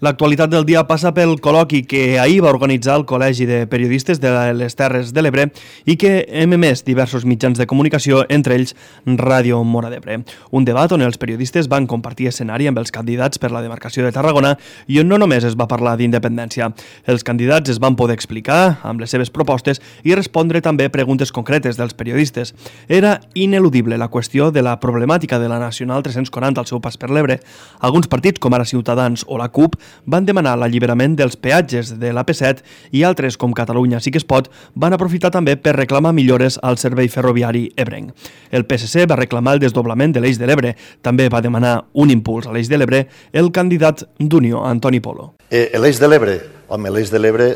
L'actualitat del dia passa pel col·loqui que ahir va organitzar el Col·legi de Periodistes de les Terres de l'Ebre i que hem emès diversos mitjans de comunicació, entre ells Ràdio Móra d'Ebre. Un debat on els periodistes van compartir escenari amb els candidats per la demarcació de Tarragona i on no només es va parlar d'independència. Els candidats es van poder explicar amb les seves propostes i respondre també preguntes concretes dels periodistes. Era ineludible la qüestió de la problemàtica de la Nacional 340 al seu pas per l'Ebre. Alguns partits, com ara Ciutadans o la CUP, van demanar l'alliberament dels peatges de l'AP7 i altres, com Catalunya Sí que es pot, van aprofitar també per reclamar millores al servei ferroviari ebrenc. El PSC va reclamar el desdoblament de l'Eix de l'Ebre. També va demanar un impuls a l'Eix de l'Ebre el candidat d'Unió, Antoni Polo. L'Eix de l'Ebre, l'Eix de l'Ebre,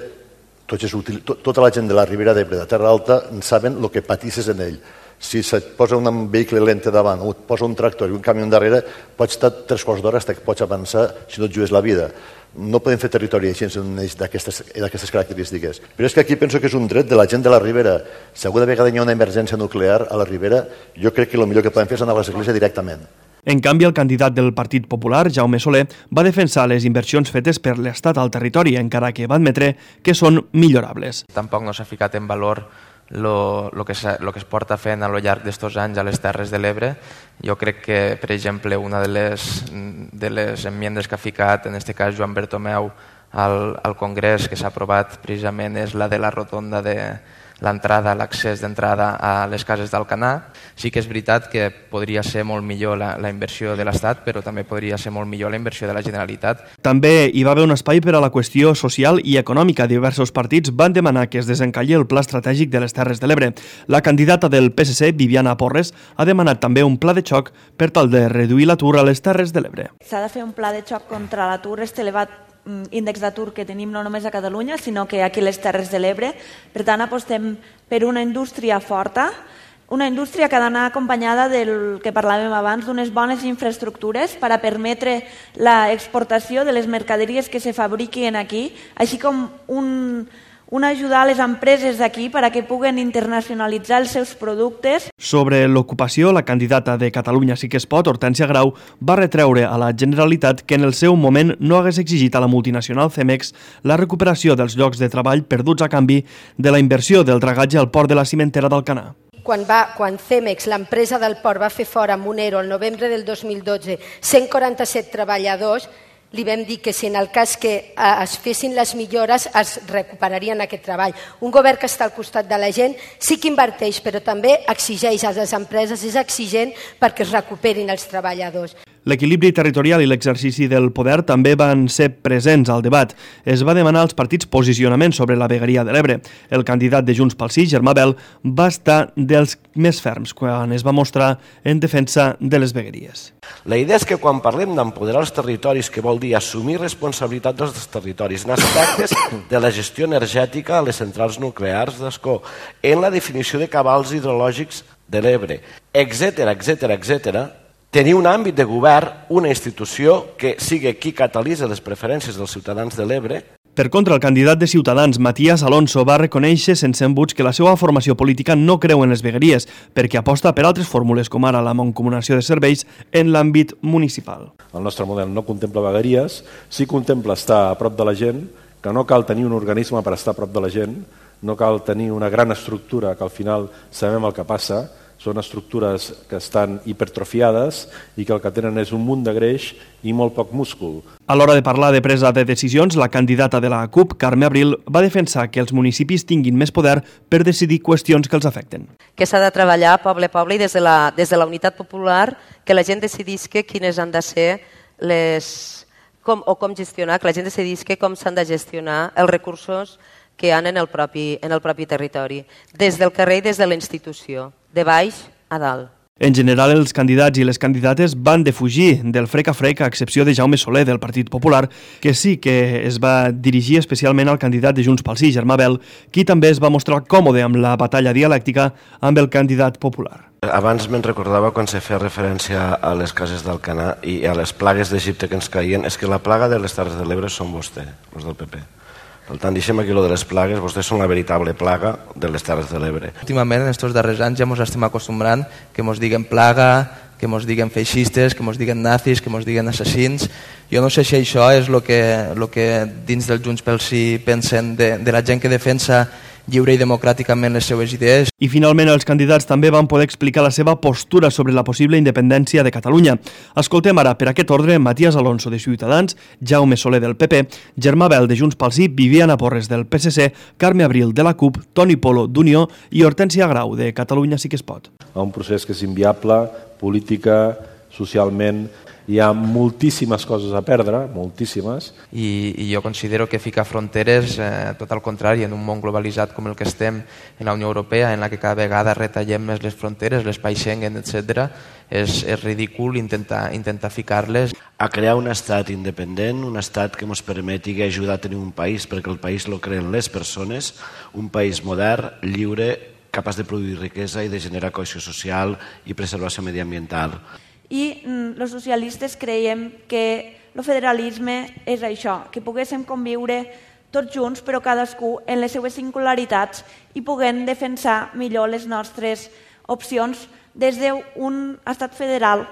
tota la gent de la Ribera d'Ebre, de Terra Alta, saben el que patisses en ell. Si se't posa un vehicle lent davant o et posa un tractor i un camió darrere, pots estar 3 quarts d'hora fins que pots avançar si no et jugues la vida. No podem fer territori així en un eix d'aquestes característiques. Però és que aquí penso que és un dret de la gent de la Ribera. Si alguna vegada hi ha una emergència nuclear a la Ribera, jo crec que el millor que podem fer és anar a l'església directament. En canvi, el candidat del Partit Popular, Jaume Soler, va defensar les inversions fetes per l'Estat al territori, encara que va admetre que són millorables. Tampoc no s'ha ficat en valor el que es porta fent a lo llarg d'estos anys a les Terres de l'Ebre. Jo crec que, per exemple, una de les enmiendes que ha ficat, en aquest cas Joan Bertomeu, al Congrés, que s'ha aprovat precisament, és la de la rotonda de l'entrada, l'accés d'entrada a les cases d'Alcanar. Sí que és veritat que podria ser molt millor la inversió de l'Estat, però també podria ser molt millor la inversió de la Generalitat. També hi va haver un espai per a la qüestió social i econòmica. Diversos partits van demanar que es desencalli el pla estratègic de les Terres de l'Ebre. La candidata del PSC, Viviana Porres, ha demanat també un pla de xoc per tal de reduir l'atur a les Terres de l'Ebre. S'ha de fer un pla de xoc contra l'atur, elevat índex d'atur que tenim no només a Catalunya, sinó que aquí a les Terres de l'Ebre. Per tant, apostem per una indústria forta, una indústria que ha d'anar acompanyada del que parlàvem abans, d'unes bones infraestructures per a permetre l'exportació de les mercaderies que se fabriquin aquí, així com ajudar les empreses d'aquí perquè puguen internacionalitzar els seus productes. Sobre l'ocupació, la candidata de Catalunya Sí que es pot, Hortènsia Grau, va retreure a la Generalitat que en el seu moment no hagués exigit a la multinacional Cemex la recuperació dels llocs de treball perduts a canvi de la inversió del dragatge al port de la cimentera d'Alcanar. Quan Cemex, l'empresa del port, va fer fora amb un ERO el novembre del 2012 147 treballadors, li vam dir que si en el cas que es fessin les millores es recuperarien aquest treball. Un govern que està al costat de la gent sí que inverteix, però també exigeix a les empreses, és exigent perquè es recuperin els treballadors. L'equilibri territorial i l'exercici del poder també van ser presents al debat. Es va demanar als partits posicionaments sobre la vegueria de l'Ebre. El candidat de Junts pel Sí, Germà Bel, va estar dels més ferms quan es va mostrar en defensa de les vegueries. La idea és que quan parlem d'empoderar els territoris, que vol dir assumir responsabilitat dels territoris en aspectes de la gestió energètica a les centrals nuclears d'Ascó, en la definició de cabals hidrològics de l'Ebre, etc., tenir un àmbit de govern, una institució que sigui qui catalitza les preferències dels ciutadans de l'Ebre. Per contra, el candidat de Ciutadans, Matías Alonso, va reconèixer sense embuts que la seva formació política no creu en les vegueries, perquè aposta per altres fórmules, com ara la mancomunació de serveis en l'àmbit municipal. El nostre model no contempla vegueries, sí contempla estar a prop de la gent, que no cal tenir un organisme per estar a prop de la gent, no cal tenir una gran estructura que al final sabem el que passa, són estructures que estan hipertrofiades i que el que tenen és un munt de greix i molt poc múscul. A l'hora de parlar de presa de decisions, la candidata de la CUP, Carme Abril, va defensar que els municipis tinguin més poder per decidir qüestions que els afecten. Que s'ha de treballar poble a poble i des de la unitat popular que la gent decidisca quines han de ser com gestionar, que la gent decidisca com s'han de gestionar els recursos que hi ha en el propi territori, des del carrer i des de la institució, de baix a dalt. En general, els candidats i les candidates van defugir del frec a frec, a excepció de Jaume Soler, del Partit Popular, que sí que es va dirigir especialment al candidat de Junts pel Sí, Germà Bel, qui també es va mostrar còmode amb la batalla dialèctica amb el candidat popular. Abans me'n recordava quan se feia referència a les cases d'Alcanar i a les plagues d'Egipte que ens caien, és que la plaga de les Terres de l'Ebre són vostè, els del PP. Per tant, deixem aquí lo de les plagues, vostès són la veritable plaga de les Terres de l'Ebre. Últimament, en aquests darrers anys, ja ens estem acostumbrant que ens diguen plaga, que ens diguen feixistes, que ens diguen nazis, que ens diguen assassins. Jo no sé si això és el que dins del Junts pel Sí pensen de la gent que defensa lliure i democràticament les seues idees. I finalment els candidats també van poder explicar la seva postura sobre la possible independència de Catalunya. Escoltem ara per aquest ordre Matías Alonso de Ciutadans, Jaume Soler del PP, Germà Bel de Junts pel Sí, Viviana Porres del PSC, Carme Abril de la CUP, Toni Polo d'Unió i Hortènsia Grau de Catalunya Sí que es pot. Un procés que és inviable, política, socialment. Hi ha moltíssimes coses a perdre, moltíssimes. I jo considero que ficar fronteres, tot al contrari, en un món globalitzat com el que estem en la Unió Europea, en la que cada vegada retallem més les fronteres, l'espai Schengen, etc., és ridícul intentar ficar-les. A crear un estat independent, un estat que ens permeti ajudar a tenir un país, perquè el país lo creen les persones, un país modern, lliure, capaç de produir riquesa i de generar cohesió social i preservació mediambiental. I els socialistes creiem que el federalisme és això, que poguéssim conviure tots junts, però cadascú en les seues singularitats i puguem defensar millor les nostres opcions des d'un estat federal.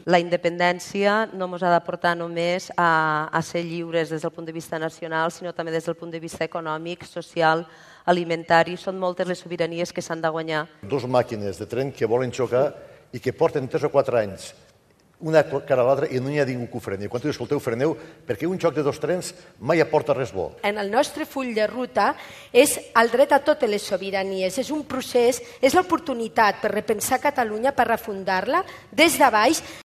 La independència no ens ha de portar només a ser lliures des del punt de vista nacional, sinó també des del punt de vista econòmic, social, alimentari. Són moltes les sobiranies que s'han de guanyar. Dos màquines de tren que volen xocar i que porten 3 o 4 anys una cara a l'altra i no hi ha ningú que ho freni. Quan tu dius, escolteu, freneu, perquè un xoc de 2 trens mai aporta res bo. En el nostre full de ruta és el dret a totes les sobiranies. És un procés, és l'oportunitat per repensar Catalunya, per refundar-la des de baix.